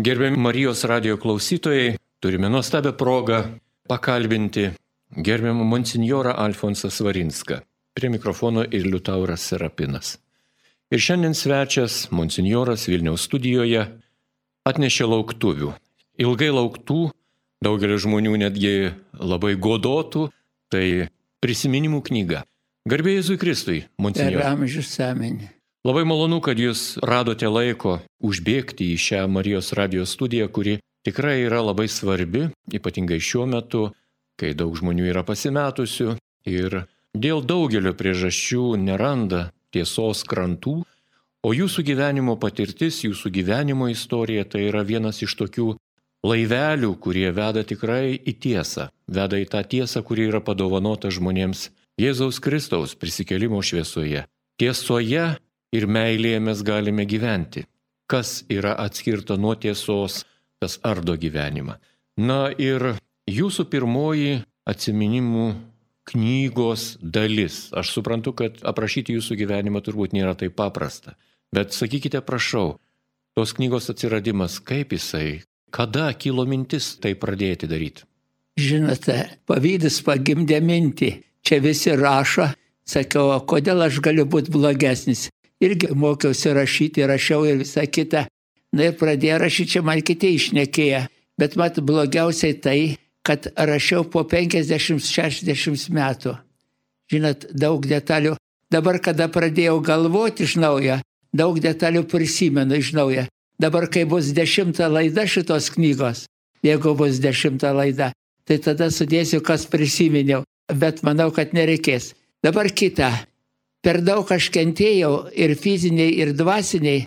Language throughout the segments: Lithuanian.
Gerbiami Marijos radijo klausytojai, turime nuostabią progą pakalbinti gerbiamą monsinjorą Alfonsą Svarinską. Prie mikrofono ir Liutauras Serapinas. Ir šiandien svečias monsinjoras Vilniaus studijoje atnešė lauktuvių. Ilgai lauktų, daugelis žmonių netgi labai godotų, tai prisiminimų knyga. Garbė Jėzui Kristui, monsinjore. Per amžius amen. Labai malonu, kad jūs radote laiko užbėgti į šią Marijos radijo studiją, kuri tikrai yra labai svarbi, ypatingai šiuo metu, kai daug žmonių yra pasimetusių ir dėl daugelio priežasčių neranda tiesos krantų, o jūsų gyvenimo patirtis, jūsų gyvenimo istorija tai yra vienas iš tokių laivelių, kurie veda tikrai į tiesą, veda į tą tiesą, kuri yra padovanota žmonėms Jėzaus Kristaus prisikėlimo šviesoje. Tiesoje ir meilėje mes galime gyventi. Kas yra atskirta nuo tiesos, tas ardo gyvenimą. Na ir jūsų pirmoji atsiminimų knygos dalis. Aš suprantu, kad aprašyti jūsų gyvenimą turbūt nėra taip paprasta. Bet sakykite, prašau, tos knygos atsiradimas, kaip jisai, kada kilo mintis tai pradėti daryti? Žinote, pavydas pagimdė mintį. Čia visi rašo, sakiau, kodėl aš galiu būti blogesnis. Irgi mokiausi rašyti, rašiau ir visą kitą. Na ir pradėjo rašyti, čia man kiti išnekėję. Bet mat blogiausiai tai, kad rašiau po 50-60 metų. Žinot, daug detalių. Dabar, kada pradėjau galvoti iš naujo, daug detalių prisimenu iš naujo. Dabar, kai bus 10 laida šitos knygos, jeigu bus 10 laida, tai tada sudėsiu, kas prisiminiau. Bet manau, kad nereikės. Dabar kita. Per daug aš kentėjau ir fiziniai, ir dvasiniai,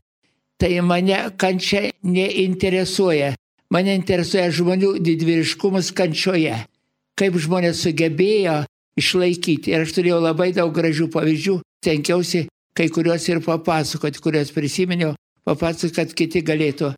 tai mane kančia neinteresuoja. Mane interesuoja žmonių didvyriškumas kančioje. Kaip žmonės sugebėjo išlaikyti. Ir aš turėjau labai daug gražių pavyzdžių. Tenkiausi kai kuriuos ir papasakoti, kuriuos prisiminiau, papasakoti, kad kiti galėtų.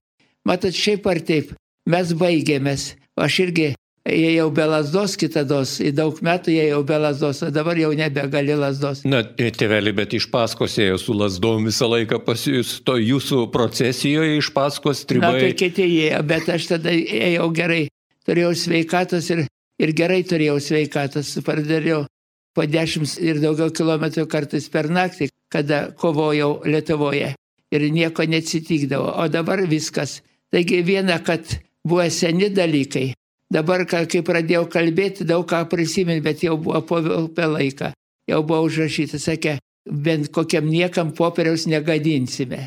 Matot, šiaip ar taip, mes baigėmės. Aš irgi ėjau be lazdos kitados, į daug metų ėjau be lazdos, o dabar jau nebegali lazdos. Na, tėveli, bet iš paskos ėjo su lazdom visą laiką pas jūs, to jūsų procesijoje iš paskos stribai. Na, tai kiti ėjo, bet aš tada ėjau gerai. Turėjau sveikatos ir gerai turėjau sveikatos. Pardariau po 10 ir daugiau kilometrų kartais per naktį, kada kovojau Lietuvoje. Ir nieko neatsitikdavo. O dabar viskas. Taigi viena, kad buvo seni dalykai. Dabar, kai pradėjau kalbėti, daug ką prisiminti, bet jau buvo po laiką. Jau buvo užrašyta, sakė, bent kokiam niekam popieriaus negadinsime.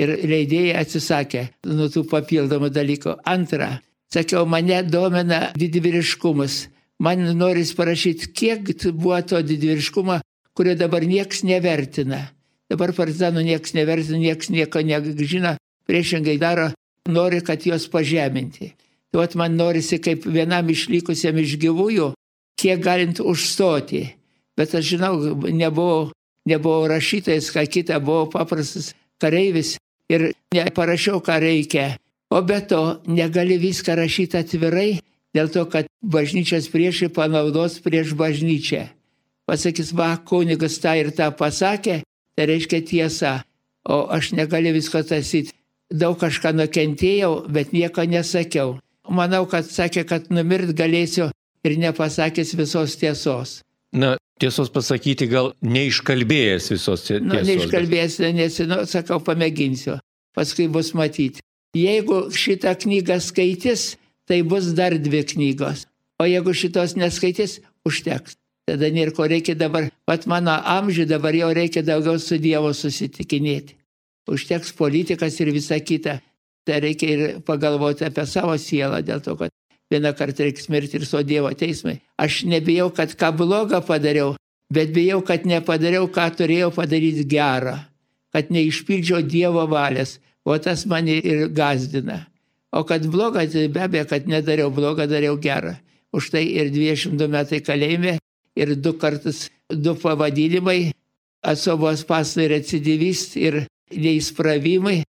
Ir leidėjai atsisakė nuo tų papildomų dalykų. Antra, sakiau, mane domina didvyriškumas. Man noris parašyti, kiek buvo to didvyriškumo, kurio dabar nieks nevertina. Dabar partizanų nieks nevertina, nieks nieko nežino, priešingai daro, nori, kad juos pažeminti. Tai man norisi kaip vienam išlikusiam iš gyvųjų, kiek galint užstoti. Bet aš žinau, nebuvau rašytojas, ką kita, buvau paprastas kareivis ir neparašiau, ką reikia. O be to, negali viską rašyti atvirai, dėl to, kad bažnyčios priešai panaudos prieš bažnyčią. Pasakys, va, kunigas tą ir tą pasakė, tai reiškia tiesa. O aš negaliu visko taisyti. Daug kažką nukentėjau, bet nieko nesakiau. Manau, kad sakė, kad numirt galėsiu ir nepasakęs visos tiesos. Na, tiesos pasakyti gal neiškalbėjęs visos tiesos. Neiškalbėjęs, nes, sakau, pamėginsiu. Paskui bus matyti. Jeigu šitą knygą skaitys, tai bus dar 2 knygos. O jeigu šitos neskaitys, užteks. Tada nėra ko reikia dabar. Pat mano amžių dabar jau reikia daugiau su Dievu susitikinėti. Užteks politikas ir visa kita. Tai reikia ir pagalvoti apie savo sielą, dėl to, kad vieną kartą reikia mirti ir su Dievo teismai. Aš nebijau, kad ką blogą padariau, bet bijau, kad nepadariau, ką turėjau padaryti gerą. Kad neišpildžiau Dievo valios. O tas mane ir gazdina. O kad blogą, tai be abejo, kad nedariau blogą, dariau gerą. Už tai ir 22 metai kalėjime, ir 2 kartus 2 pavadinimai, atsovos pasai recidivist ir neįspravimai.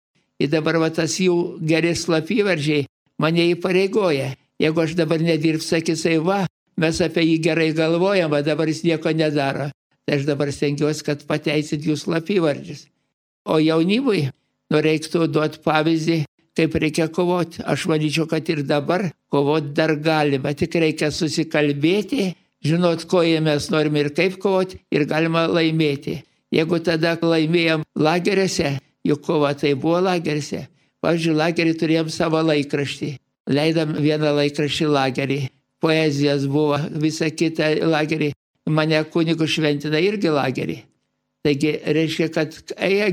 Ir dabar va, tas jų geri slapyvardžiai mane įpareigoja. Jeigu aš dabar nedirbsiu, sakysai, va, mes apie jį gerai galvojam, o dabar jis nieko nedaro. Tai aš dabar stengiuosi, kad pateisit jų slapyvardžius. O jaunimui reiktų duoti pavyzdį, kaip reikia kovoti. Aš manyčiau, kad ir dabar kovoti dar galima, tik reikia susikalbėti, žinot, ko mes norime ir kaip kovoti, ir galima laimėti. Jeigu tada laimėjom lageriuose, juk kova tai buvo lageriuose. Pavyzdžiui, lagerį turėjom savo laikraštį. Leidom vieną laikraštį lagerį. Poezijas buvo, visa kita lagerį. Mane kunigų šventina irgi lagerį. Taigi, reiškia, kad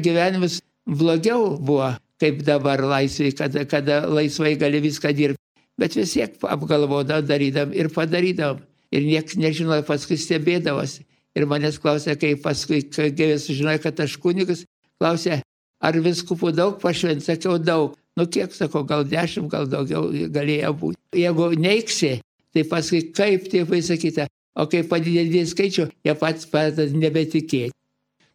gyvenimas blogiau buvo, kaip dabar laisvai, kada laisvai gali viską dirbti. Bet vis tiek apgalvodam, darydam ir padarydam. Ir niekas nežinojo, paskui stebėdavosi. Ir manęs klausė, kai paskui, kai sužinojo, kad aš kunigas, klausė, ar viskupų daug pašvent, sakiau daug. Nu kiek, sakau, gal 10, gal daugiau galėjo būti. Jeigu neiksi, tai paskui kaip tėvai sakyta, o kai padidėdė skaičių, jie patys pradeda nebetikėti.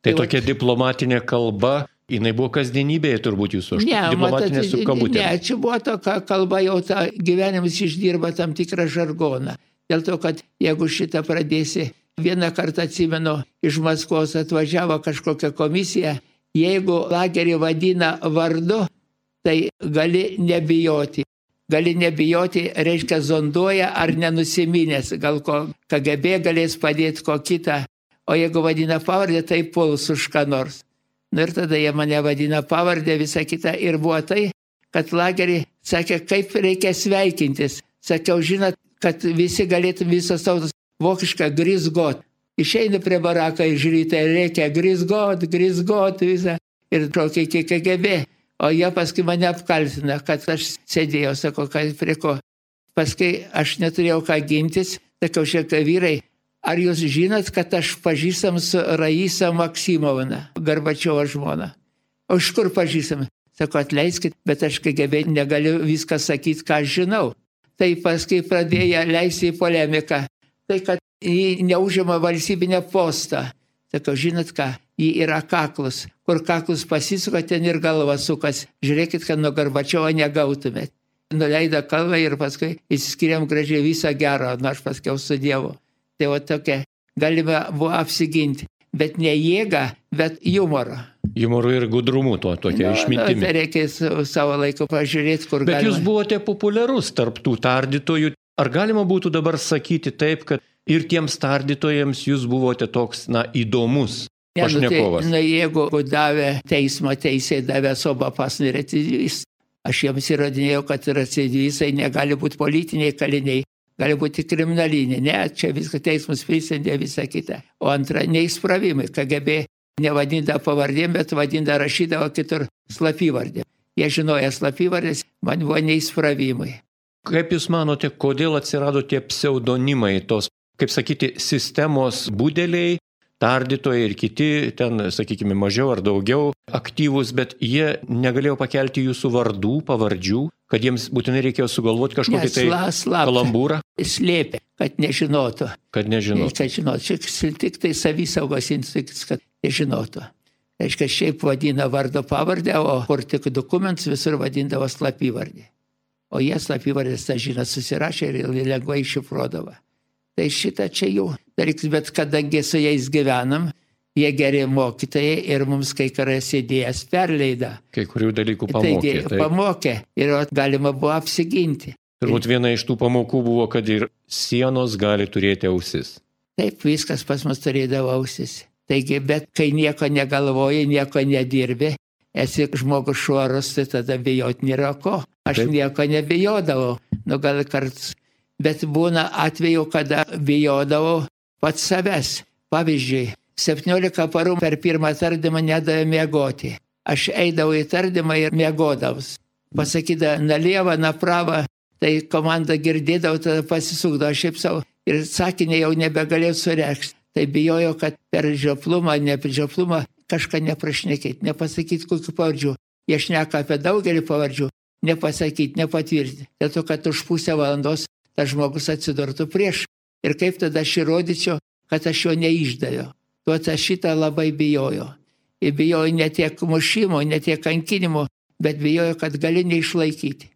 Tai tokia diplomatinė kalba, jinai buvo kasdienybėje turbūt jūsų, diplomatinė su kabutė. Ne, čia buvo tokia kalba, jau ta gyvenimas išdirba tam tikrą žargoną. Dėl to, kad jeigu šitą pradėsi, vieną kartą atsimenu, iš Maskvos atvažiavo kažkokia komisija, jeigu lagerį vadina vardu, tai gali nebijoti. Gali nebijoti, reiškia zonduoja ar nenusiminęs, gal ko KGB galės padėti ko kitą, o jeigu vadina pavardę, tai puls už ką nors. Ir tada jie mane vadina pavardę, visą kitą. Ir buvo tai, kad lagerį sakė, kaip reikia sveikintis. Sakiau, žinot, kad visi galėtum visos tautos vokišką grisgot. Išeina prie baraką ir žiūri, tai reikia grisgot visą. Ir šokia iki KGB. O jie paskui mane apkaltina, kad aš sėdėjau, sako, kad prie ko. Paskui aš neturėjau ką gintis, sakau, šiek vyrai, ar jūs žinot, kad aš pažįstam su Raisa Maksimovna, Gorbačiovo žmona? O iš kur pažįstam? Sako, atleiskit, bet aš KGB negaliu viską sakyti, ką aš žinau. Tai paskui pradėjo leisti į polemiką. Tai, kad jį neužima valstybinę postą. Sakau, žinot ką, jį yra kaklus. Kur kaklus pasisuka, ten ir galva sukas. Žiūrėkit, kad nuo Gorbačiovo negautumėt. Nuleido kalbą ir paskui įsiskiriam gražiai visą gerą, aš paskiau su Dievu. Tai va tokia, galime buvo apsiginti. Bet ne jėga, bet humorą. Humoru ir gudrumu tokia išmintimi. Tai reikia savo laiku pažiūrėti, kur galima. Bet jūs buvote populiarus tarp tų tardytojų. Ar galima būtų dabar sakyti taip, kad ir tiems tardytojams jūs buvote toks, įdomus pašnekovas? Jeigu davė teismo teisėjai, davė sobapas recidyvistai, aš jiems įrodinėjau, kad recidyvistai negali būti politiniai kaliniai, gali būti kriminaliniai. Ne, čia viską teismas prisendė visą kitą. O antra, neįspravimai. KGB nevadinda pavardėm, bet vadinda rašydavo kitur slapyvardėm. Jie žinoja slapyvardės, man buvo neįspravimai. Kaip jūs manote, kodėl atsirado tie pseudonimai, tos, kaip sakyti, sistemos budeliai, tardytojai ir kiti, ten, sakykime, mažiau ar daugiau aktyvūs, bet jie negalėjo pakelti jūsų vardų, pavardžių, kad jiems būtinai reikėjo sugalvoti kažkokį tai kalambūrą? Slėpė, kad nežinotų. Kad nežinotų. Kad žinotų. Čia tik tai savisaugos institutas, kad nežinotų. Reiškia, šiaip vadina vardo pavardę, o kur tik dokumentus visur vadindavo slapyvardį. O jie slapyvardės tą žinią susirašė ir lengvai iššifruodavo. Tai šitą čia jų dalykas, bet kadangi su jais gyvenam, jie geri mokytojai ir mums kai kurias idėjas perleida. Kai kurių dalykų pamokė. Taigi, pamokė ir galima buvo apsiginti. Turbūt viena iš tų pamokų buvo, kad ir sienos gali turėti ausis. Taip, viskas pas mus turėdavo ausis. Taigi, bet kai nieko negalvoji, nieko nedirbi, esi žmogus švarus, tai tada bijoti nėra ko. Aš nieko nebijodavau, gal karts. Bet būna atveju, kada bijodavau pats savęs. Pavyzdžiui, 17 parų per pirmą tardymą nedavė miegoti. Aš eidavau į tardymą ir miegodavus. Pasakydavo, nalieva, naprava, tai komanda girdėdavo, tada pasisukdavo šiaip savo. Ir sakinį jau nebegalėjau sureikšti. Tai bijojau, kad per žioplumą, ne per žioplumą kažką neprašnekėti, nepasakyti kokių pavardžių. Jie šneka apie daugelį pavardžių, nepasakyti, nepatvirtinti. Dėl to, kad už pusę valandos tas žmogus atsidurtų prieš. Ir kaip tada aš įrodyčiau, kad aš jo neišdaviau. Tuo aš šitą labai bijojau. Ir bijojau ne tiek mušimo, ne tiek kankinimo, bet bijojau, kad gali neišlaikyti.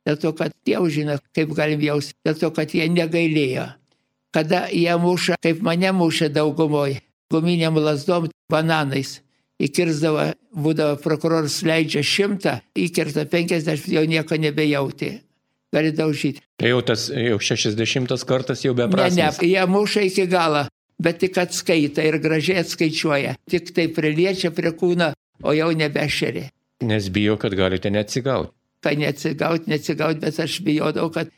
Dėl to, kad jau žino, kaip galim jausti. Dėl to, kad jie negailėjo. Kada jie muša, kaip mane mušė daugumoje, guminiam lasdom, bananais. įkirsdavo, būdavo prokuroras leidžia 100, įkirta 50, jau nieko nebejauti. Gali daužyti. Tai jau tas 60 kartas jau beprasmis. Ne, jie muša iki galo, bet tik atskaita ir gražiai atskaičiuoja. Tik tai priliečia prie kūno, o jau nebešeri. Nes bijo, kad galite neatsigauti. Kad neatsigauti, bet aš bijodavau, kad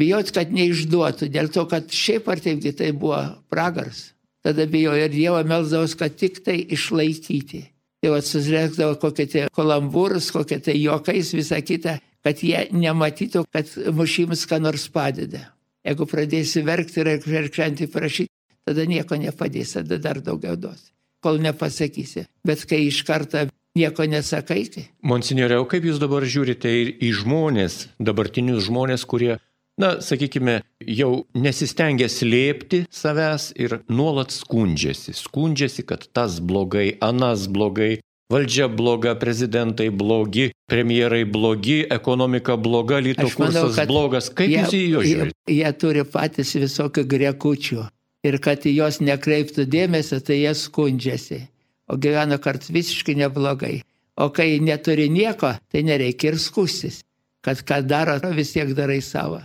neišduotų, dėl to, kad šiaip ar taipgi tai buvo pragaras. Tada bijo ir Dievą melsdavos, kad tik tai išlaikyti. Tai susirėkdavo kokie tai kalambūrus, kokie tai juokais, visą kitą, kad jie nematytų, kad mušimas ką nors padeda. Jeigu pradėsi verkti ir verkšantį prašyti, tada nieko nepadės, tada dar daugiau duos, kol nepasakysi. Bet kai iš karto nieko nesakai. Monsignore, o kaip jūs dabar žiūrite į žmonės, dabartinius žmonės, kurie, sakykime, jau nesistengia slėpti savęs ir nuolat skundžiasi, kad tas blogai, anas blogai, valdžia bloga, prezidentai blogi, premjerai blogi, ekonomika bloga, lyto kursas blogas. Kaip jūs į juos žiūrite? Jie turi patys visokių grekučių ir kad į juos nekreiptų dėmesio, tai jie skundžiasi, o gyvena kart visiškai neblogai. O kai neturi nieko, tai nereikia ir skustis, kad ką daro, vis tiek darai savo.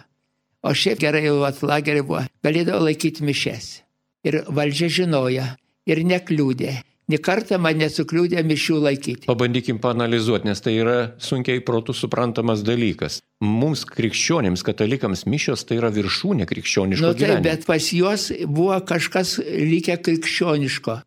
O šiaip gerai jau lagerį buvo, galėdavo laikyti mišes. Ir valdžia žinoja, ir nekliūdė. Nė kartą man nesukliūdė mišių laikyti. Pabandykim paanalizuoti, nes tai yra sunkiai protų suprantamas dalykas. Mums krikščionims, katalikams mišios tai yra viršūnė krikščioniško gyvenimo. Bet pas juos buvo kažkas likę krikščioniško.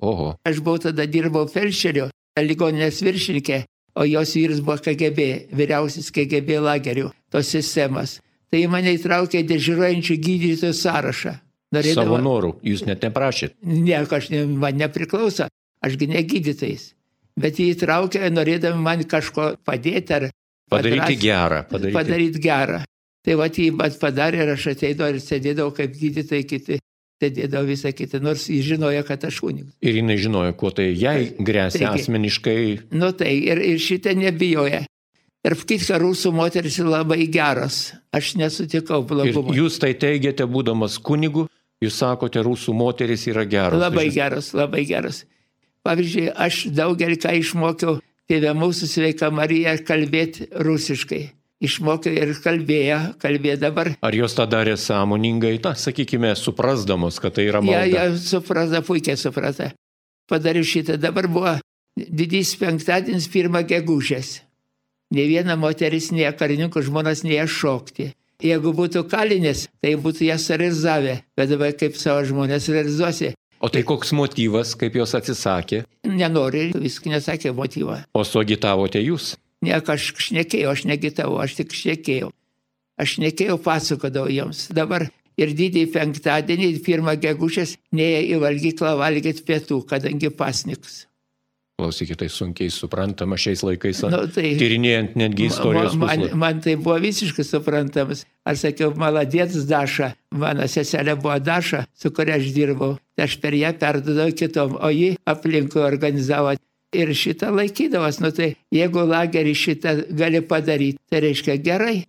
Oho. Aš buvau tada dirbau felšeriu, ligoninės viršininkė, o jos vyras buvo KGB, vyriausias KGB lagerių, tos sistemas. Tai mane įtraukė dežiruojančių gydytojų sąrašą. Savo norų, jūs net neprašėt? Ne, man nepriklauso, ašgi ne gydytojais. Bet jį įtraukė, norėdami man kažko padėti ar padaryti gerą. Padaryti gerą. Tai jį padarė ir aš ateidavau ir sėdėdavau kaip gydytojai kiti, sėdėdavau visą kitą, nors jis žinojo, kad aš kunigas. Ir jinai žinojo, kuo tai jai grėsia asmeniškai. Tai ir šitą nebijoja. Ir kitką rusų moteris labai geros. Aš nesutikau blogumo. Ir jūs tai teigiate, būdamas kunigu, jūs sakote, rusų moteris yra geros. Labai geros, labai geros. Pavyzdžiui, aš daugelį ką išmokiau tėvę mūsų Sveika Marija kalbėti rusiškai. Išmokiau ir kalbėjo dabar. Ar jos tą darė sąmoningai, sakykime, suprasdamos, kad tai yra malda? Ja, suprasa, puikiai suprasa. Padariau šitą. Dabar buvo didysis penktadienis 1 gegužės. Ne viena moteris, ne karininkų žmonas neėjo šokti. Jeigu būtų kalinės, tai būtų jas realizavę, bet dabar kaip savo žmonės realizuosi. O tai koks motyvas, kaip jos atsisakė? Nenori, viską nesakė motyvą. O suagitavote jūs? Ne, aš šnekėjau, aš negitavau, aš tik šnekėjau. Aš šnekėjau, pasakodavau jiems. Dabar ir didįjį penktadienį, 1 gegužės, neėjo į valgyklą valgyti pietų, kadangi pasniks. Klausykite, tai sunkiai suprantama šiais laikais, tyrinėjant netgi istorijos puslapį. Man tai buvo visiškai suprantamas. Aš sakiau, maladėtas Daša, mano seselė buvo Daša, su kuria aš dirbau. Aš per ją perdodavau kitom, o ji aplinkui organizavo. Ir šitą laikydavas, tai jeigu lagerį šitą gali padaryti, tai reiškia gerai.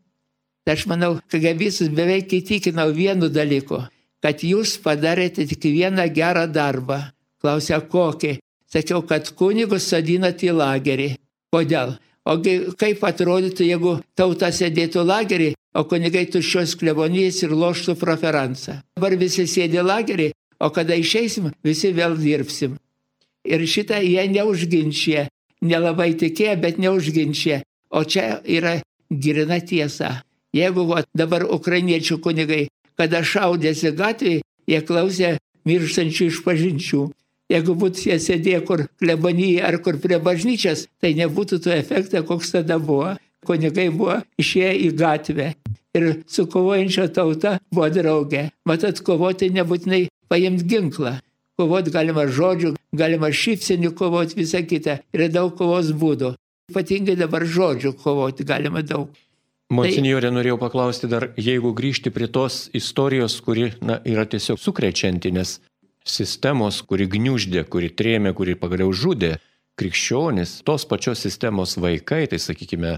Tai aš manau, kad visus beveik įtikinau vienu dalyku, kad jūs padarėte tik vieną gerą darbą. Klausia, kokį? Sakiau, kad kunigus sodinat į lagerį. Kodėl? Ogi kaip atrodytų, jeigu tauta sėdėtų lagerį, o kunigai tuščios klebonijas ir loštų proferansą. Dabar visi sėdė lagerį, o kada išeisim, visi vėl dirbsim. Ir šitą jie neužginčia. Nelabai tikėjo, bet neužginčia. O čia yra grina tiesa. Jeigu dabar ukrainiečių kunigai, kada šaudėsi gatvėje, jie klausė mirštančių išpažinčių. Jeigu būtų jie sėdėję kur klebonyje ar kur prie bažnyčios, tai nebūtų to efekto, koks tada buvo. Kunigai buvo išėję į gatvę ir su kovojančia tauta buvo draugė. Matot, kovoti nebūtinai paimti ginklą. Kovoti galima žodžių, galima šypsenių kovoti, visą kitą. Yra daug kovos būdų. Ypatingai dabar žodžių kovoti galima daug. Monsinjore, norėjau paklausti dar, jeigu grįžti prie tos istorijos, kuri yra tiesiog sukrečianti, nes sistemos, kuri gniuždė, kuri trėmė, kuri pagaliau žudė krikščionis, tos pačios sistemos vaikai, tai sakykime,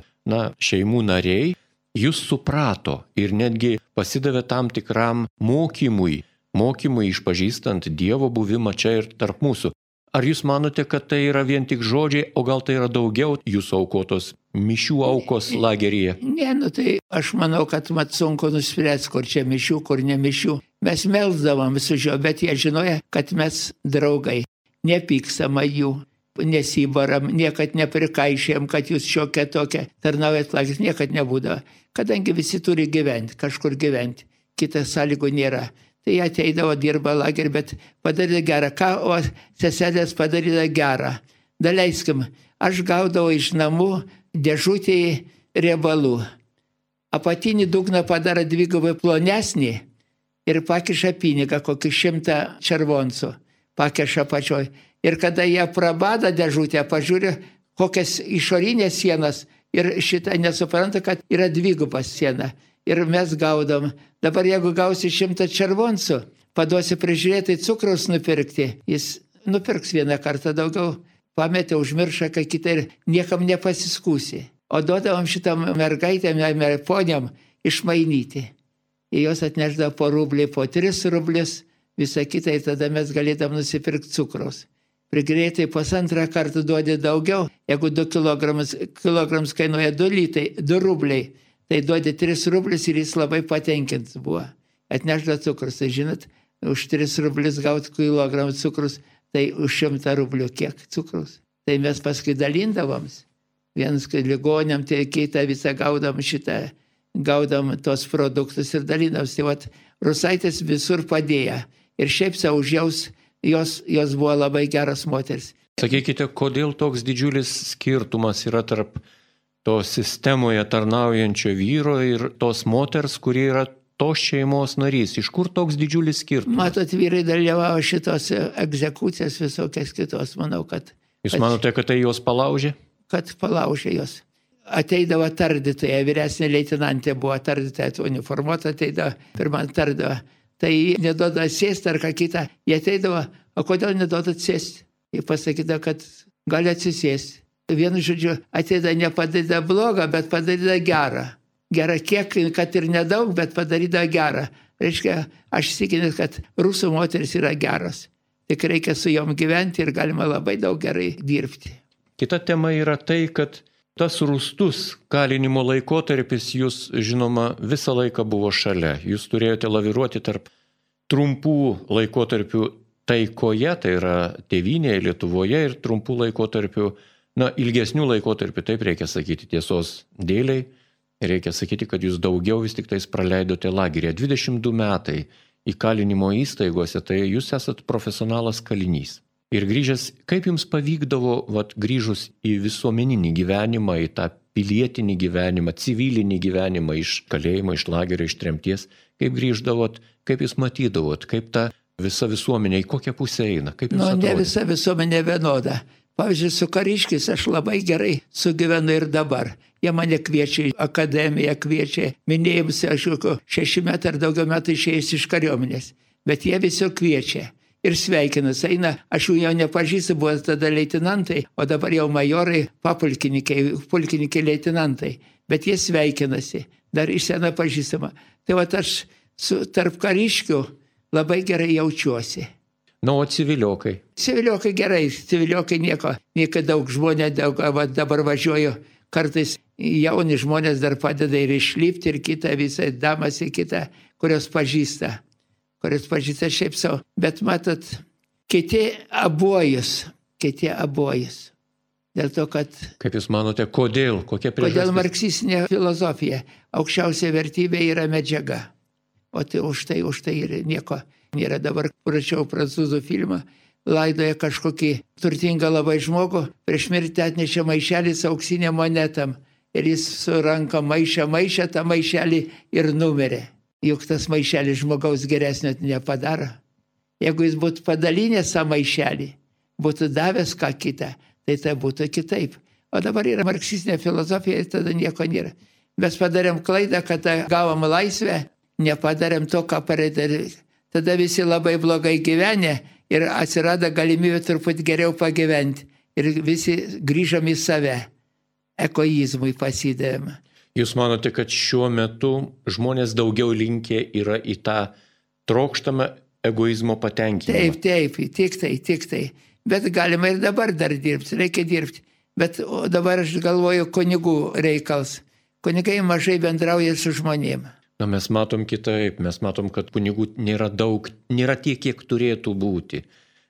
šeimų nariai, jūs suprato ir netgi pasidavė tam tikram mokymui išpažįstant Dievo buvimą čia ir tarp mūsų. Ar jūs manote, kad tai yra vien tik žodžiai, o gal tai yra daugiau jūsų aukotos mišių aukos lageryje? Ne, tai aš manau, kad mat sunku nuspręsti, kur čia mišių, kur ne mišių. Mes melsdavom su juo, bet jie žinojo, kad mes draugai, nepykstama jų, nesibaram, niekad neprikaišėjom, kad jūs šiokia tokia tarnaujat lageris, niekad nebūdavo. Kadangi visi turi gyventi, kažkur gyventi, kitas sąlygų nėra. Tai jie ateidavo, dirba lagerį, bet padarė gerą. Ką, o seselės padarė gerą. Daleiskim, aš gaudavau iš namų dėžutį riebalų. Apatinį dugną padaro dvigubai plonesnį ir pakiša pinigą, kokį 100 červoncų. Pakiša pačioj. Ir kada jie prabada dėžutę, pažiūrė, kokias išorinės sienas ir šitą nesupranta, kad yra dvigubas siena. Ir mes gaudom. Dabar jeigu gausi 100 červoncų, paduosi prižiūrėti cukraus nupirkti, jis nupirks vieną kartą daugiau, pametė, užmiršą, ką kitą ir niekam nepasiskūsi. O duodavom šitam mergaitėm, poniam išmainyti. Ir jos atneždavo po rublį, po 3 rublius, visą kitą ir tada mes galėdam nusipirkti cukraus. Prigreitai 1,5 kartų duodi daugiau, jeigu 2 kilograms kainuoja 2 rubliai. Tai duodė 3 rublius ir jis labai patenkintas buvo. Atnešdavo cukrus, tai žinot, už 3 rublius gauti kilogramą cukrus, tai už 100 rublių kiek cukrus. Tai mes paskui dalindavom. Vienas ligonėm, tai kitą visą gaudom tos produktus ir dalindavom. Tai vat, Rusaitės visur padėjo. Ir šiaip savo už jos buvo labai geras moteris. Sakykite, kodėl toks didžiulis skirtumas yra tarp to sistemoje tarnaujančio vyro ir tos moters, kurie yra tos šeimos narys? Iš kur toks didžiulis skirtumas? Matot, vyrai dalyvavo šitos egzekucijas visokias kitos, manau, kad... Jūs manote, kad tai jos palaužė? Kad palaužė jos. Ateidavo tardytoja, vyresnė leitinantė buvo tardytoja, uniformuota ateidavo, pirmą tardavo. Tai neduoda sėsti ar ką kitą. Jie ateidavo, o kodėl neduoda sėsti? Jie pasakydavo, kad gali atsisėsti. Vienu žodžiu, ateida nepadaryda blogą, bet padaryda gerą. Gerą kiek, kad ir nedaug, bet padaryda gerą. Reiškia, aš įsitikinęs, kad rusų moteris yra geros. Tik reikia su jom gyventi ir galima labai daug gerai dirbti. Kita tema yra tai, kad tas rūstus kalinimo laikotarpis jūs, žinoma, visą laiką buvo šalia. Jūs turėjote laviruoti tarp trumpų laikotarpių taikoje, tai yra tėvynėje, Lietuvoje, ir trumpų laikotarpių, ilgesnių laikotarpių, taip reikia sakyti tiesos dėliai, reikia sakyti, kad jūs daugiau vis tik tais praleidote lageryje. 22 metai įkalinimo įstaigose, tai jūs esat profesionalas kalinys. Ir grįžęs, kaip jums pavykdavo, grįžus į visuomeninį gyvenimą, į tą pilietinį gyvenimą, civilinį gyvenimą iš kalėjimo, iš lagerio, iš tremties, kaip grįždavot, kaip jūs matydavot, kaip ta visa visuomenė, į kokią pusę eina, kaip jums atrodė? Ne visa visuomenė vienoda. Pavyzdžiui, su kariškiais aš labai gerai sugyvenu ir dabar. Jie mane kviečia į akademiją, kviečia minėjimus, aš jau 6 metų ar daugiau metų išėjęs iš kariuomenės. Bet jie visi kviečia ir sveikinas. Eina, aš jų jau nepažįstu, buvo tada leitinantai, o dabar jau majorai, pulkininkai leitinantai. Bet jie sveikinasi, dar iš sena pažįstama. Tai aš tarp kariškių labai gerai jaučiuosi. O civiliokai? Civiliokai gerai, civiliokai nieko daug žmonės, dabar važiuoju, kartais jauni žmonės dar padeda ir išlipti, ir kitą visą damas į kitą, kurios pažįsta šiaip savo. Bet matot, kiti abojus. Dėl to, kad... Kaip jūs manote, kodėl? Kokia priežastis? Kodėl marksistinė filosofija? Aukščiausia vertybė yra medžiaga. O tai už tai ir nieko nėra. Dabar prašiau prancūzų filmą, laidoja kažkokį turtingą labai žmogų, prieš mirtį atnešė maišelį su auksinė monetam. Ir jis su ranka maišė tą maišelį ir numirė. Juk tas maišelis žmogaus geresnio nepadaro. Jeigu jis būtų padalinęs tą maišelį, būtų davęs ką kitą, tai būtų kitaip. O dabar yra marksistinė filosofija ir tada nieko nėra. Mes padarėm klaidą, kad gavom laisvę, nepadarėm to, ką padarėm. Tada visi labai blogai gyvenė ir atsirado galimybė truputį geriau pagyventi. Ir visi grįžom į save. Egoizmui pasidavėm. Jūs manote, kad šiuo metu žmonės daugiau linkę yra į tą trokštamą egoizmo patenkinimą? Taip, tik tai. Bet galima ir dabar dar dirbti, reikia dirbti. Bet dabar aš galvoju kunigų reikals. Kunigai mažai bendrauja su žmonėm. Na, mes matom kitaip, mes matom, kad kunigų nėra daug, nėra tiek, kiek turėtų būti.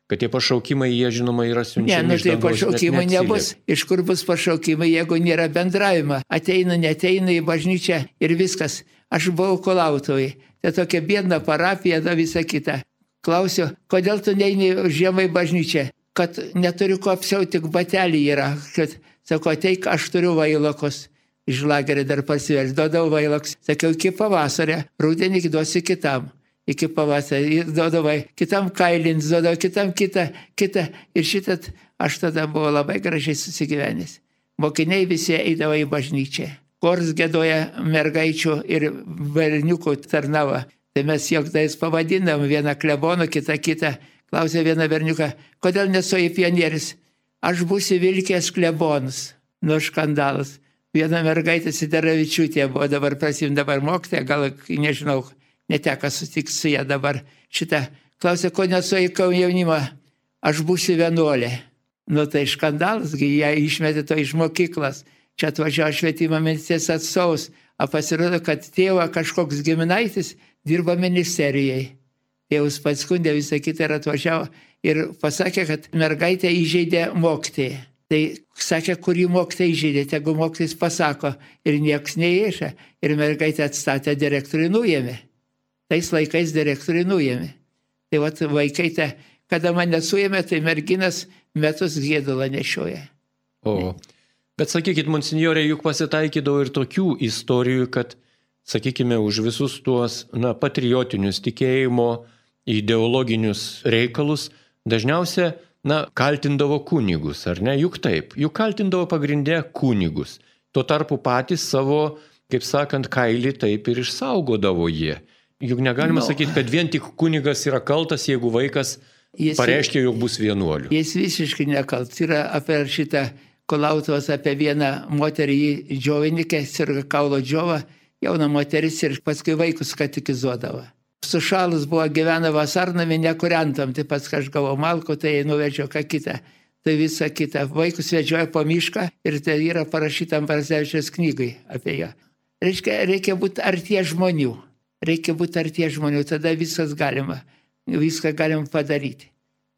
Kad tie pašaukimai, jie žinoma yra siunčiami. Ne, tai pašaukimai nebus. Iš kur bus pašaukimai, jeigu nėra bendravimo? Ateina, neteina į bažnyčią ir viskas. Aš buvau Kolautoje. Tai tokia biedna parapija, da visa kita. Klausiu, kodėl tu neini žiemai bažnyčią? Kad neturiu ko apsiauti, tik batelį yra. Kad, sako, ateik, aš turiu vailokus. Iš lagerio dar pasivels, duodau vailokus. Sakiau, iki pavasario, rudenį duosiu kitam. Iki pavasario, duodavai, kitam kailins, duodavau, kitam kitą. Ir šitat aš tada buvau labai gražiai susigyvenęs. Mokiniai visi eidavo į bažnyčią. Kors gėdoja mergaičių ir berniukų tarnavo. Tai mes joktais pavadinam vieną kleboną, kitą. Klausė vieną berniuką, kodėl nesuoji pionierius? Aš būsiu vilkės klebonas. Nu, skandalas. Viena mergaitė Sidaravičiūtė buvo dabar dabar mokytoja, gal nežinau, neteko sutikti su ją dabar. Šitą klausė, ko nesuoji jaunimą? Aš būsiu vienuolė. Nu, tai skandalas, ją išmetė to iš mokyklos. Čia atvažiavo švietimo ministerijos atstovus. O pasirodo, kad tėvo kažkoks giminaitis dirba ministerijai. Tėvus paskundė visą kitą ir atvažiavo ir pasakė, kad mergaitė įžeidė mokytoją. Tai sakė, kurį mokytoją įžeidė, tegu mokytojas pasako ir nieks neįša. Ir mergaitė atstatė, direktorių nuėmė. Tais laikais direktorių nuėmė. Tai vat vaikai, kada mane suėmė, tai merginas metus gėdulą nešioja. O, bet sakykit, monsinjorė, juk pasitaikydavo ir tokių istorijų, kad, sakykime, už visus tuos patriotinius tikėjimo ideologinius reikalus dažniausia, kaltindavo kunigus, ar ne? Juk taip, juk kaltindavo pagrindę kunigus. Tuo tarpu patys savo, kaip sakant, kailį taip ir išsaugodavo jie. Juk negalima sakyti, kad vien tik kunigas yra kaltas, jeigu vaikas pareiškia, jog bus vienuoliu. Jis visiškai nekaltas. Yra apie šitą Kolautos, apie vieną moterį džiovinikę, sirga kaulo džiova, jauna moteris ir paskui vaikus katekizuodavo. Sušalus buvo, gyvena vasarnami, nekuriantam, tai pats aš gavau malko, tai nuvežiau ką kitą. Tai visą kitą. Vaikus vedžioja po mišką ir tai yra parašyta Ambrazevičiaus knygai apie ją. Reikia būti artie žmonių. Tada viskas galima. Viską galima padaryti.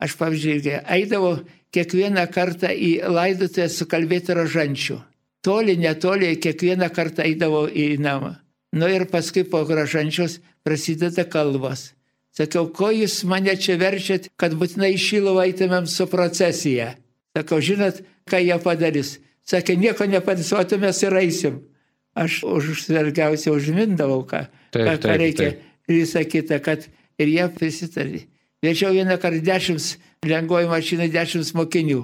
Aš, pavyzdžiui, eidavau kiekvieną kartą į laidotuvę sukalbėti rožančių. Toli, netoli, kiekvieną kartą eidavau į namą. Nu ir paskui po rožančios prasideda kalbos. Sakiau, ko jūs mane čia verčiat, kad būtinai į Šiluvą eitumėm su procesija? Sakau, žinot, ką jie padarys? Sakė, nieko nepadarys, o tu mes ir eisim. Aš užsvergiausiai užmindavau, ką reikia. Visą kitą, kad ir jie prisitarė. Vežiau vieną kartą 10 lengvoji mašinai 10 mokinių.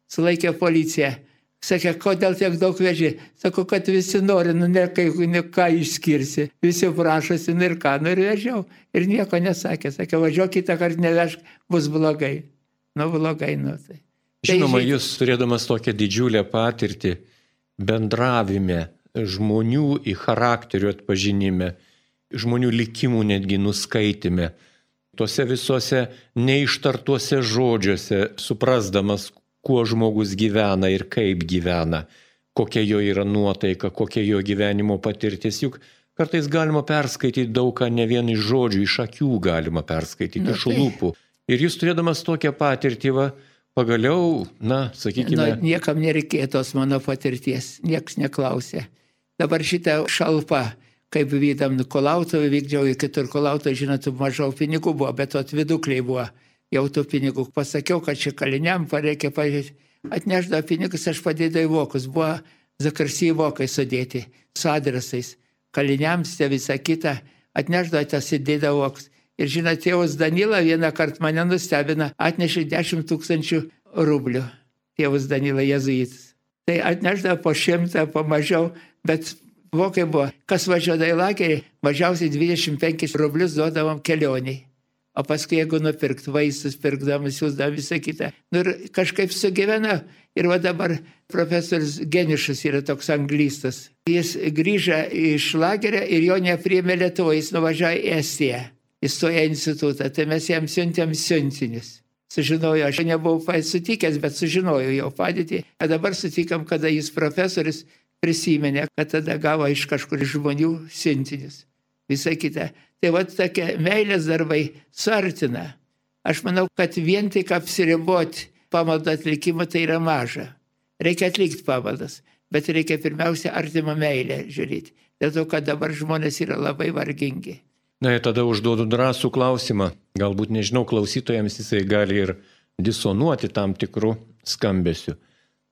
Sulaikė policija. Sakė, kodėl tiek daug veži? Sakau, kad visi nori, ne ką išskirsi. Visi prašosi, ir ką, ir vežiau. Ir nieko nesakė. Sakė, važiuok kitą kartą nevežk, bus blogai. Blogai, tai. Žinoma, jūs turėdamas tokią didžiulę patirtį bendravime, žmonių į charakterių atpažinime, žmonių likimų netgi nuskaitime, tuose visuose neištartuose žodžiuose, suprasdamas, kuo žmogus gyvena ir kaip gyvena, kokia jo yra nuotaika, kokia jo gyvenimo patirtis. Juk kartais galima perskaityti daug ką, ne vien iš žodžių, iš akių galima perskaityti, iš lūpų. Ir jūs turėdamas tokią patirtį, pagaliau, sakykime... Niekam nereikėjo tos mano patirties, nieks neklausė. Dabar šitą šalpą, kaip vykdam Kolautovą, vykdžiau į kitur Kolautovą, žinot, mažiau pinigų buvo, bet atvidukliai buvo. Jau tų pinigų. Pasakiau, kad čia kaliniam reikia pažiūrėti. Atnešdavo pinigus, aš padėdavau į vokus. Buvo Zakarsijai vokai sudėti su adresais. Kaliniams tie visą kitą. Atnešdavo tas įdėdavo vokus. Ir žinot, tėvas Danila vieną kartą mane nustebina, atnešė 10 000 rublių. Tėvas Danila jezuitas. Tai atnešdavo po 100, po mažiau, bet vokai buvo. Kas važiuodavo į lagerį, mažiausiai 25 rublius duodavom kelioniai. O paskui, jeigu nupirkt vaistus, pirkdamas, siūsdamas visą kitą. Ir kažkaip sugyvena. Ir dabar profesorius Geniušas yra toks anglistas. Jis grįžo iš lagerio ir jo nepriėmė Lietuvoje. Jis nuvažiavo į Estiją. Įstojo į institutą. Tai mes jam siuntėm siuntinius. sužinojau, aš nebuvau sutikęs, bet sužinojau jo padėtį. O dabar sutikam, kada jis profesorius prisiminė, kad tada gavo iš kažkur žmonių siuntinius. Visą kitą. Tai va tokie meilės darbai suartina. Aš manau, kad vien tik apsiriboti pamaldą atlikimą tai yra maža. Reikia atlikti pamaldas, bet reikia pirmiausia artimą meilę žiūrėti. Dėl to, kad dabar žmonės yra labai vargingi. Na ir tada užduodu drąsų klausimą. Galbūt, nežinau, klausytojams jisai gali ir disonuoti tam tikrų skambesių.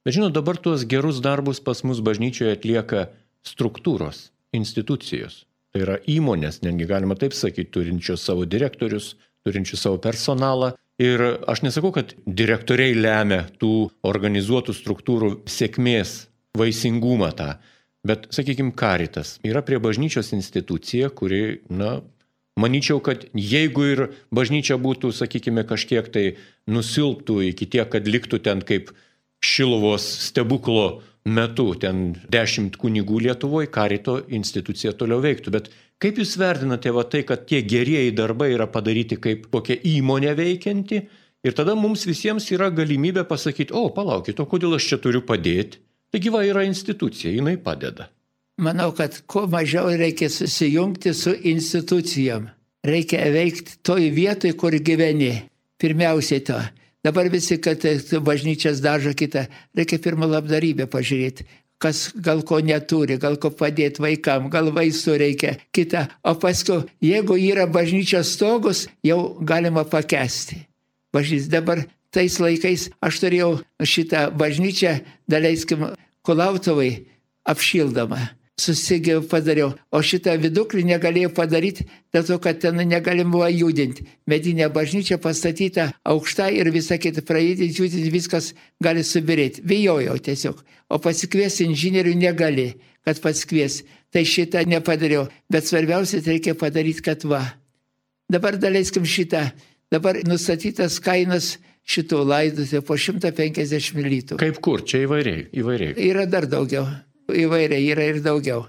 Bet žinot, dabar tuos gerus darbus pas mus bažnyčioje atlieka struktūros, institucijos. Tai yra įmonės, netgi galima taip sakyti, turinčios savo direktorius, turinčios savo personalą. Ir aš nesakau, kad direktoriai lemia tų organizuotų struktūrų sėkmės, vaisingumą tą. Bet, sakykime, Caritas yra prie bažnyčios institucija, kuri, manyčiau, kad jeigu ir bažnyčia būtų, sakykime, kažkiek tai nusilptų iki tiek, kad liktų ten kaip Šiluvos stebuklo metu, ten 10 kunigų Lietuvoje, Carito institucija toliau veiktų. Bet kaip jūs vertinate tai, kad tie gerieji darbai yra padaryti kaip kokia įmonė veikianti ir tada mums visiems yra galimybė pasakyti, palaukit, o kodėl aš čia turiu padėti? Taigi yra institucija, jinai padeda. Manau, kad kuo mažiau reikia susijungti su institucijom. Reikia veikti toj vietoj, kur gyveni. Pirmiausiai to. Dabar visi, kad bažnyčias dažo kitą, reikia pirmą labdarybę pažiūrėti. Kas gal ko neturi, gal ko padėti vaikam, gal vaistų reikia kitą. O paskui, jeigu yra bažnyčios stogus, jau galima pakęsti. Dabar tais laikais aš turėjau šitą bažnyčią, daleiskim, Kulautovai apšildomą. Susigiau padariau, o šitą viduklį negalėjau padaryti, dėl to, kad ten negalim buvo judinti. Medinė bažnyčia pastatyta aukšta ir visą kitą praeidinti, judinti, viskas gali subirėti. Bijojau tiesiog, o pasikviesti inžinierių negali, kad pasikvies. Tai šitą nepadariau, bet svarbiausia reikia padaryti, kad va. Dabar daleiskim šitą, dabar nustatytas kainas šitų laidotuvų po 150 litų. Kaip kur? Čia įvairiai. Yra dar daugiau. Įvairiai yra ir daugiau.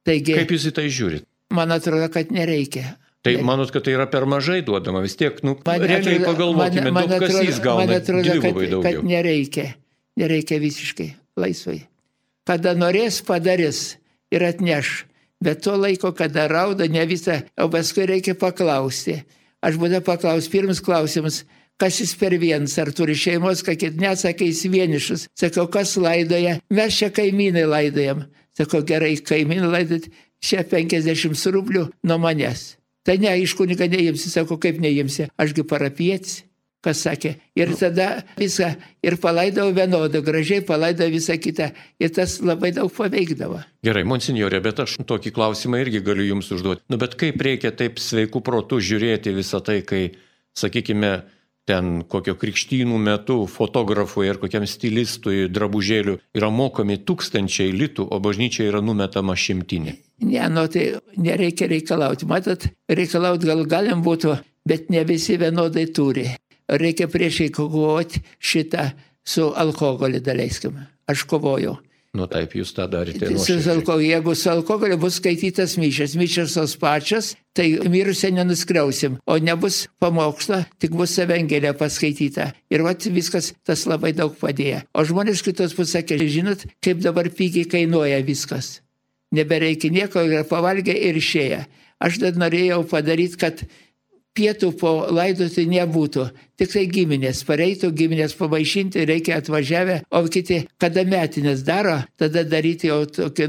Taigi, kaip jūs į tai žiūrit? Man atrodo, kad nereikia. Tai manot, kad tai yra per mažai duodama? Vis tiek, realiai pagalvokime, duobkasys gauna dvigubai daugiau. Kad nereikia. Nereikia visiškai laisvai. Kada norės, padarys ir atneš. Bet to laiko, kada rauda, ne visą, o paskui reikia paklausti. Aš būdą paklausti, pirmas klausimas, kas jis per vienas, ar turi šeimos, kakit nesakai, jis vienišas. Sakau, kas laidoja? Mes čia kaimynai laidojam. Sakau, gerai, kaimynai laidot, čia 50 rublių nuo manęs. Tai ne, iš kuniga neimsi. Sakau, kaip neimsi? Ašgi parapietis. Kas sakė? Ir tada viską, ir palaidavo vienodą, gražiai palaidavo visą kitą. Ir tas labai daug paveikdavo. Gerai, monsinjorė, bet aš tokį klausimą irgi galiu jums užduoti. Bet kaip reikia taip sveikų protų žiūrėti visą tai, kai, sakykime, ten kokio krikštynų metu fotografui ar kokiam stilistui drabužėlių yra mokami 1000 litų, o bažnyčia yra numetama 100. Ne, tai nereikia reikalauti. Matot, reikalauti galim būtų, bet ne visi vienodai turi. Reikia priešai kovoti šitą su alkoholiu, daleiskim. Aš kovojau. Taip, jūs tą darėte. Jeigu su alkoholiu bus skaitytas mišios tos pačios, tai mirusią nenuskriausim, o nebus pamokslo, tik bus evangelija paskaityta. Ir viskas tas labai daug padėjo. O žmonės kitos pusės sakė, žinot, kaip dabar pigiai kainuoja viskas. Nebereikia nieko, pavalgė ir išėję. Aš dar norėjau padaryti, kad pietų po laidoti nebūtų. Tik tai giminės, pareitų giminės pamaišinti, reikia atvažiavę, o kiti, kada metinės daro, tada daryti jau tokį,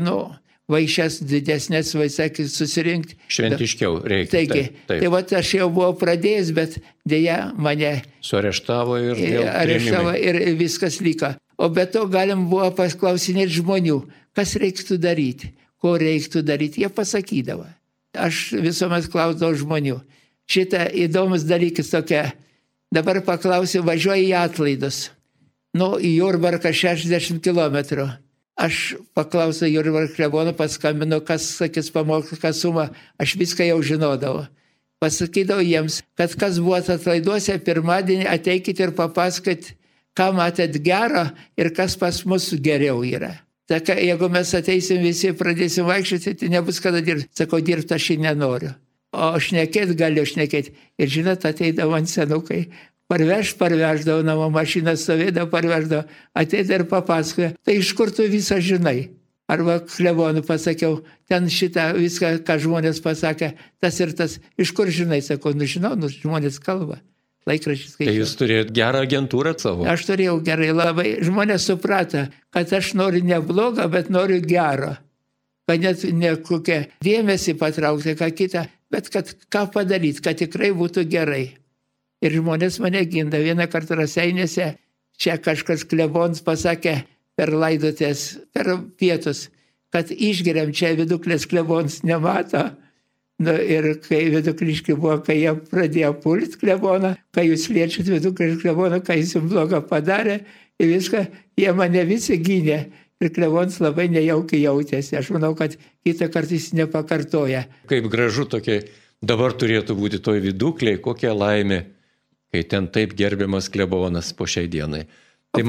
vaišes didesnės, vaisakį susirinkti. Šventiškiau reikia. Taigi, tai aš jau buvau pradėjęs, bet dėja mane suareštavo ir viskas liko. O be to galim buvo pasklausinėti žmonių, kas reiktų daryti, ko reiktų daryti, jie pasakydavo. Aš visuomet klausdavau žmonių. Šitą įdomus dalykas tokia. Dabar paklausiu, važiuoju į atlaidus. Į Jurbarką 60 km. Aš paklausiu Jurbarką kleboną, paskambinu, kas sakys pamokslo sumą. Aš viską jau žinodavau. Pasakydavau jiems, kad kas buvo atlaiduose, pirmadienį ateikit ir papasakot, ką matėt gero ir kas pas mus geriau yra. Saka, jeigu mes ateisim visi, pradėsim vaikščioti, tai nebus kada dirbti. Sakau, dirbti aš nenoriu. O šnekėt galiu šnekėti. Ir žinot, ateidavo ant senukai, parveždavo, namo mašiną stovėdavo, parveždavo, ateidavo ir papasakojo, tai iš kur tu visą žinai? Arba klebonų pasakiau, ten šitą viską, ką žmonės pasakė, tas ir tas, iš kur žinai, sakau, žinau, žmonės kalba. Laikraščius skaičiau. Tai jūs turėjote gerą agentūrą savo? Aš turėjau gerai, labai. Žmonės suprato, kad aš noriu ne blogo, bet noriu gero. Kad net ne kokią dėmesį patraukti, ką kitą, bet kad ką padaryti, kad tikrai būtų gerai. Ir žmonės mane ginda. Vieną kartą Raseiniuose, čia kažkas klebonas pasakė per laidotės, per pietus, kad išgeriam čia Viduklės klebonas nemato. Ir kai Vidukliški buvo, kai jie pradėjo pulti kleboną, kai jūs liečiat Viduklės kleboną, kai jis jums blogą padarė, ir viską, jie mane visi gynė. Ir klebonas labai nejaukiai jautėsi. Aš manau, kad kitą kartą jis nepakartoja. Kaip gražu tokia, dabar turėtų būti toj Viduklėje, kokia laimė, kai ten taip gerbiamas klebonas po šiai dienai. Tai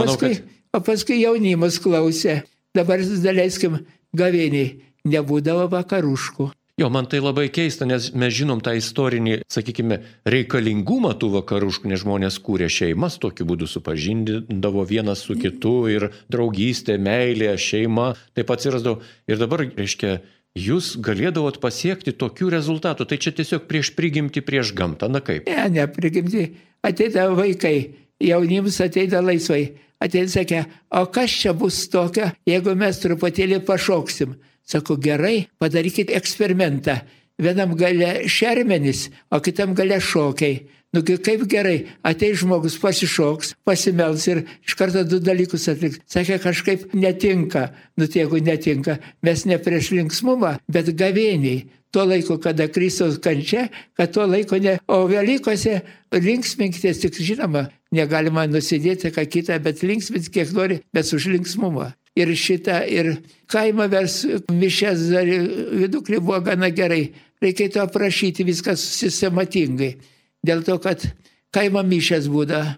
O paskui jaunimas klausė. Dabar daleiskim gavėniai. Nebūdavo vakaruškų. Jo, man tai labai keista, nes mes žinom tą istorinį, sakykime, reikalingumą tų vakaruškų, nes žmonės kūrė šeimas, tokiu būdu supažindindavo vienas su kitu ir draugystė, meilė, šeima, taip atsirasdavo. Ir dabar, reiškia, jūs galėdavot pasiekti tokių rezultatų, tai čia tiesiog prieš prigimtį, prieš gamtą, na kaip? Ne, prigimtį. Ateidavo vaikai, jaunims ateidavo laisvai. Ateidavo, sakė, o kas čia bus tokio, jeigu mes truputėlį pašoksim? Sako, gerai, padarykit eksperimentą. Vienam gale šermenis, o kitam gale šokiai. Kaip gerai, ateis žmogus pasišoks, pasimels ir iš karto du dalykus atliks. Sakė, kažkaip netinka. Jeigu netinka, mes ne prieš linksmumą, bet gavėniai. Tuo laiku, kada Kristaus kančia, kad tuo laiko ne. O Velykose linksminkitės, tik žinoma, negalima nusidėti ką kitą, bet linksmins kiek nori, bet už linksmumą. Ir šitą, ir kaimą vers mišes Viduklė buvo gana gerai. Reikėtų aprašyti viską sistematingai. Dėl to, kad kaimo mišes būda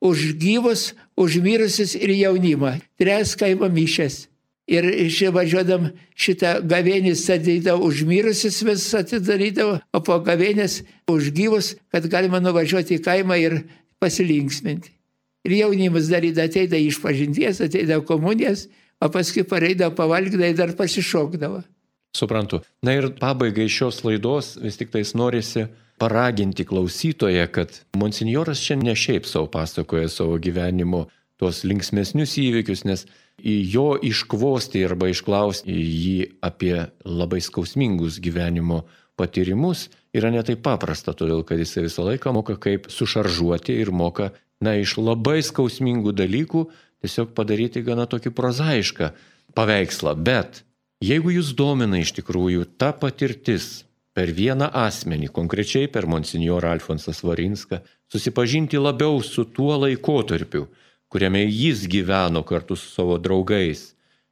už gyvus, už mirusius ir jaunimą. 3 kaimo mišes. Ir važiuodam šitą gavėnės atidarydavo už mirusius, vis atidarydavo, o po gavėnės už gyvus, kad galima nuvažiuoti į kaimą ir pasilinksminti. Ir jaunimas darydavo, ateidavo išpažinties, ateidavo komunijas, o paskui pareidavo, pavalgydavo ir dar pasišokdavo. Suprantu. Na ir pabaigai šios laidos vis tik tais norisi paraginti klausytoją, kad monsinjoras čia ne šiaip savo pasakoja savo gyvenimo tuos linksmesnius įvykius, nes į jo iškvosti arba išklausti jį apie labai skausmingus gyvenimo patyrimus yra netai paprasta, todėl kad jis visą laiką moka kaip sušaržuoti ir moka iš labai skausmingų dalykų tiesiog padaryti gana tokį prozaišką paveikslą. Bet jeigu jūs domina iš tikrųjų ta patirtis per vieną asmenį, konkrečiai per monsinjorą Alfonsą Svarinską, susipažinti labiau su tuo laikotarpiu, kuriame jis gyveno kartu su savo draugais,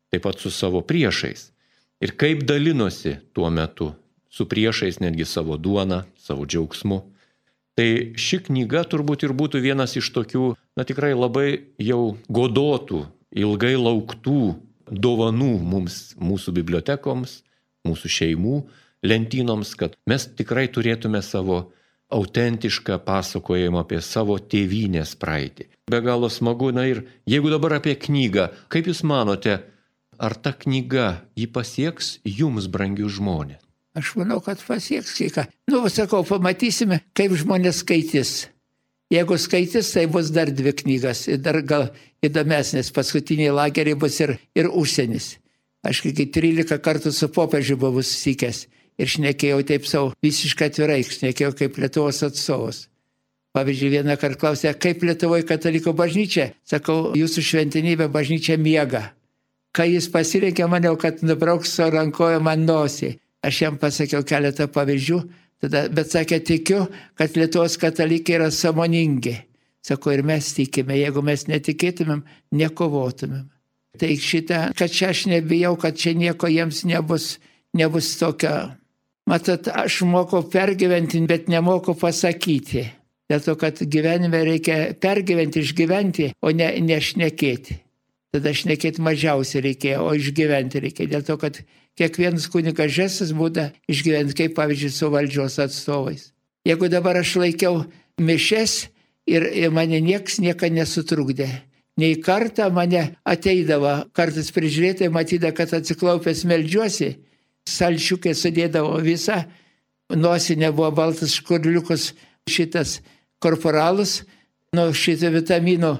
taip pat su savo priešais. Ir kaip dalinosi tuo metu su priešais netgi savo duoną, savo džiaugsmu. Tai ši knyga turbūt ir būtų vienas iš tokių, tikrai labai jau godotų, ilgai lauktų dovanų mums, mūsų bibliotekoms, mūsų šeimų lentynoms, kad mes tikrai turėtume savo autentišką pasakojimą apie savo tėvynės praeitį. Be galo smagu, ir jeigu dabar apie knygą, kaip jūs manote, ar ta knyga jį pasieks jums, brangius žmonės? Aš manau, kad pasieks ką. Sakau, pamatysime, kaip žmonės skaitys. Jeigu skaitys, tai bus dar 2 knygas. Ir dar gal įdomesnės. Paskutiniai lageriai bus ir užsienis. Aš kai 13 kartų su popiežiu buvau susitikęs. Ir šnekėjau taip savo visiškai atvirai. Šnekėjau kaip Lietuvos atstovas. Pavyzdžiui, vieną kartą klausė, kaip Lietuvoje katalikų bažnyčia. Sakau, jūsų šventenybė bažnyčia miega. Kai jis pasirinkė, maniau, kad nubrauks savo rankoje man nosį. Aš jam pasakiau keletą pavyzdžių, bet sakė, tikiu, kad Lietuvos katalikai yra sąmoningi. Sako, ir mes tikime, jeigu mes netikėtumėm, nekovotumėm. Tai šitą, kad čia aš nebijau, kad čia nieko jiems nebus tokio. Matot, aš moku pergyventi, bet nemoku pasakyti. Dėl to, kad gyvenime reikia pergyventi, išgyventi, o ne šnekėti. Tada šnekėti mažiausiai reikėjo, o išgyventi reikia. Dėl to, kad kiekvienas kunigas žestas būda išgyventi, kaip pavyzdžiui su valdžios atstovais. Jeigu dabar aš laikiau mišes ir mane nieks niekada nesutrukdė. Nei kartą mane ateidavo, kartais prižiūrėtai matydavo, kad atsiklaupęs meldžiuosi, salčiukai sudėdavo visą, nosinė buvo baltas škurliukus, šitas korporalus, nuo šito vitamino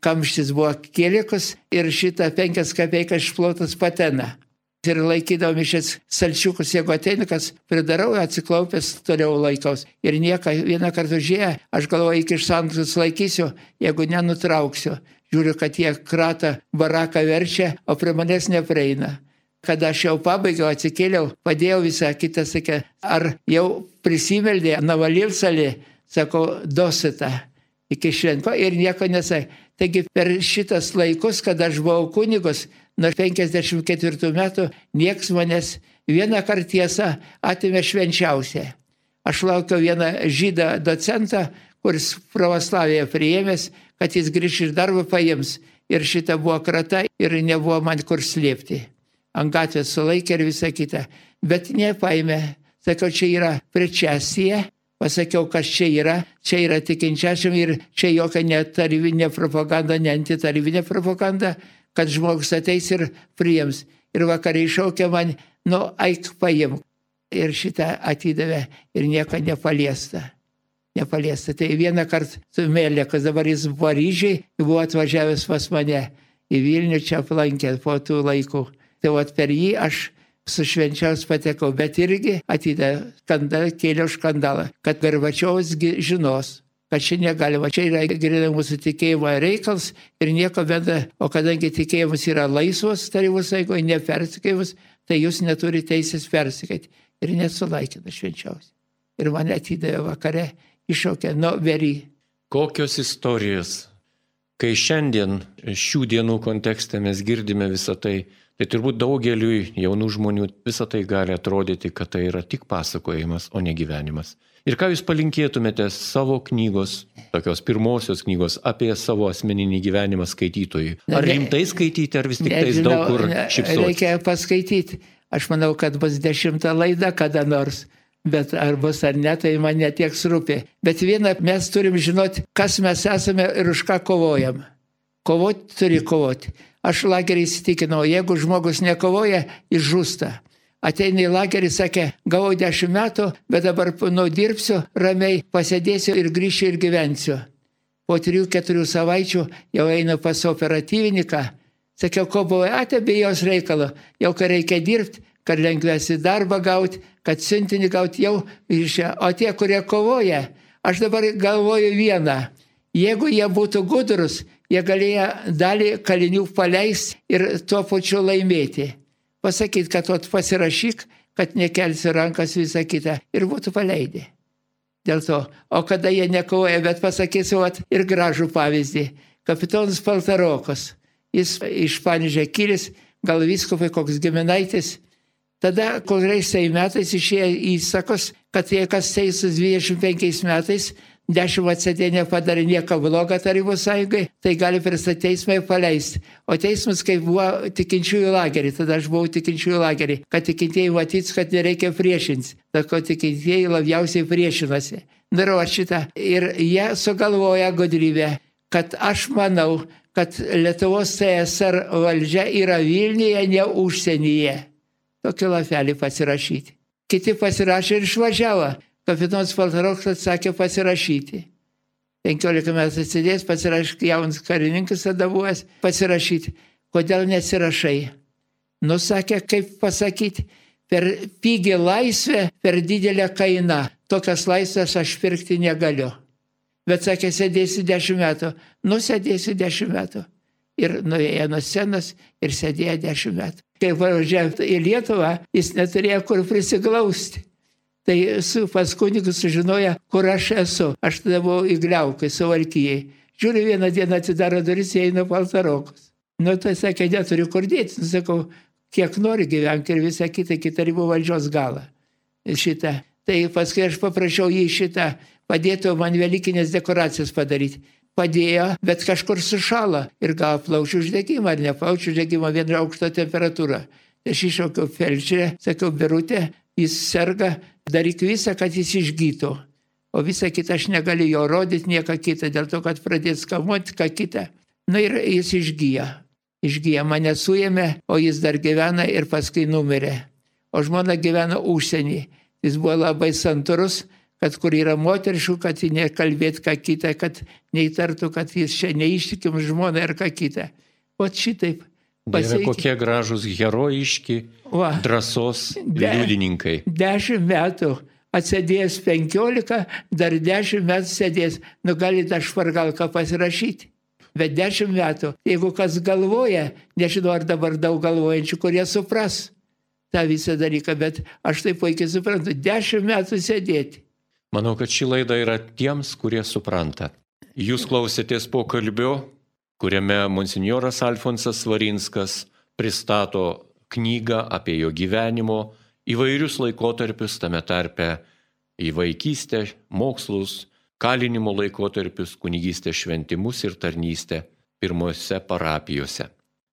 kamštis buvo kėlikus ir šitą 5 kapeikas išplotas patena. Ir laikydavo mišės salčiukus, jeigu ateina, kas pridarau, atsiklaupęs toliau laikaus. Ir nieką vieną kartą užėję, aš galvoju, iki šantus laikysiu, jeigu nenutrauksiu. Žiūriu, kad jie kratą baraką verčia, o prie manęs neprieina. Kada aš jau pabaigiau, atsikėliau, padėjau visą kitą, sakė, ar jau prisimeldė, navalilsalį, sako, dosita iki švento ir nieko nesakė. Taigi per šitas laikus, kada aš buvau kunigus, nuo 54 metų, nieks manęs vieną kartą tiesą atėmė švenčiausią. Aš laukiau vieną žydą docentą, kuris pravoslaviją priėmęs, kad jis grįš iš darbo paims. Ir šita buvo krata ir nebuvo man kur slėpti. Ant gatvės sulaikė ir visa kita. Bet nepaėmė. Sakiau, čia yra prečesija. Pasakiau, kas čia yra tikinčiačiam ir čia jokia netarybinė propaganda, ne antitarybinė propaganda, kad žmogus ateis ir priims. Ir vakariai šaukė man, eik paim. Ir šitą atidavė ir nieko nepaliesta. Tai vieną kartą su Melekas, dabar jis Paryžiai, buvo atvažiavęs pas mane į Vilnių, čia aplankė po tų laikų. Tai per jį aš su švenčiaus patekau, bet irgi kėliau skandalą, kad Gorbačiovas žinos, kad čia negalima, čia yra grynai mūsų tikėjimo reikals ir nieko bendra, o kadangi tikėjimas yra laisvas Tarybų Sąjungoje, nepersikėjimas, tai jūs neturite teisės persikėti. Ir nesulaikina švenčiausiai. Ir mane atidavė vakare, iššaukė, very. Kokios istorijos, kai šiandien šių dienų kontekste mes girdime visą tai, tai turbūt daugeliui jaunų žmonių visą tai gali atrodyti, kad tai yra tik pasakojimas, o ne gyvenimas. Ir ką jūs palinkėtumėte savo knygos, tokios pirmosios knygos apie savo asmeninį gyvenimą skaitytojui? Ar rimtai skaityti, ar vis tik tais daug kur šypsotis? Reikia paskaityti. Aš manau, kad bus 10 laida kada nors, bet ar bus ar ne, tai man netiek rūpi. Bet vieną mes turim žinoti, kas mes esame ir už ką kovojam. Kovoti turi kovoti. Aš lagerį įsitikinau, jeigu žmogus nekovoja, jis žūsta. Ateina į lagerį, sakė, gavau 10 metų, bet dabar dirbsiu, ramiai pasėdėsiu ir grįšiu ir gyvensiu. Po 3-4 savaičių jau einu pas operatyvininką. Sakiau, ko buvo atėbė jos reikalo, jau kai reikia dirbti, kad lengvesi darbą gauti, kad siuntinį gauti jau išė. O tie, kurie kovoja, aš dabar galvoju vieną. Jeigu jie būtų gudrus, jie galėjo dalį kalinių paleisti ir tuo pačiu laimėti. Pasakyti, kad pasirašyk, kad nekelsi rankas visą kitą ir būtų paleidę. Dėl to, o kada jie nekovoja, bet pasakysiu ir gražų pavyzdį. Kapitonas Paltarokas, jis iš Panevėžio kilęs, gal vyskupai koks giminaitis. Tada kuriais metais išėjo įsakos, kad jei kas teisus 25 metais, 10 atsėdė nepadarė nieko blogo Tarybų Sąjungai, tai gali pristatyti teismą ir paleisti. O teismas, kai buvo tikinčiųjų lagerį, tada aš buvau tikinčiųjų lagerį, kad tikintieji matyts, kad nereikia priešinti. Tako tikintieji labiausiai priešinasi. Darau šitą. Ir jie sugalvoja gudrybę, kad aš manau, kad Lietuvos CSR valdžia yra Vilniuje, ne užsienyje. Tokį lapelį pasirašyti. Kiti pasirašė ir išvažiavo. Kapitonas Paltarokas atsakė pasirašyti. 15 metų atsidės, pasirašyti, jaunas karininkas tada buvęs, pasirašyti. Kodėl nesirašai? Sakė, kaip pasakyti, per pigi laisvę, per didelę kainą. Tokias laisvės aš pirkti negaliu. Bet sakė, sėdėsiu 10 metų. Sėdėsiu 10 metų. Ir nuėjo nuo scenos ir sėdėjo 10 metų. Kai važiavo į Lietuvą, jis neturėjo kur prisiglausti. Tai pas kunigus sužinoja, kur aš esu. Aš tada buvau įgliaukai, Suvalkijai. Žiūriu, vieną dieną atidaro duris, eina Paltarokas. Tai sakė, neturiu kur dėti. Sakau, kiek nori gyventi ir visą kitą, iki Tarybų valdžios galą. Šitą. Tai paskui aš paprašiau jį šitą, padėtų man velykinės dekoracijas padaryti. Padėjo, bet kažkur sušalo ir gavo plaučių uždegimą, ar ne plaučių uždegimą, viena aukšto temperatūra. Aš iššaukiau felčerę, sakiau, Birutė, jis serga, daryk visą, kad jis išgytų. o visą kitą aš negaliu jo rodyti, nieką kitą, dėl to, kad pradės kamuoti, ką kitą. Na ir jis išgyja. Išgyja, mane suėmė, o jis dar gyvena ir paskui numirė. O žmona gyvena užsienį. Jis buvo labai santūrus, kad kur yra moteriškų, kad jį nekalbėt ką kitą, kad neįtartų, kad jis čia neištikim žmona ir ką kitą. O šitaip. Dieve, kokie gražus, herojiški, drąsos liudininkai. 10 metų. Atsėdėjęs 15, dar 10 metų sėdėjęs. Nu, galite aš špargalką pasirašyti. Bet 10 metų. Jeigu kas galvoja, nežinau, ar dabar daug galvojančių, kurie supras tą visą dalyką, bet aš tai puikiai suprantu. 10 metų sėdėti. Manau, kad ši laida yra tiems, kurie supranta. Jūs klausėtės pokalbio, kuriame monsinjoras Alfonsas Svarinskas pristato knygą apie jo gyvenimo įvairius laikotarpius, tame tarpe į vaikystę, mokslus, kalinimo laikotarpius, kunigystės šventimus ir tarnystę pirmose parapijose.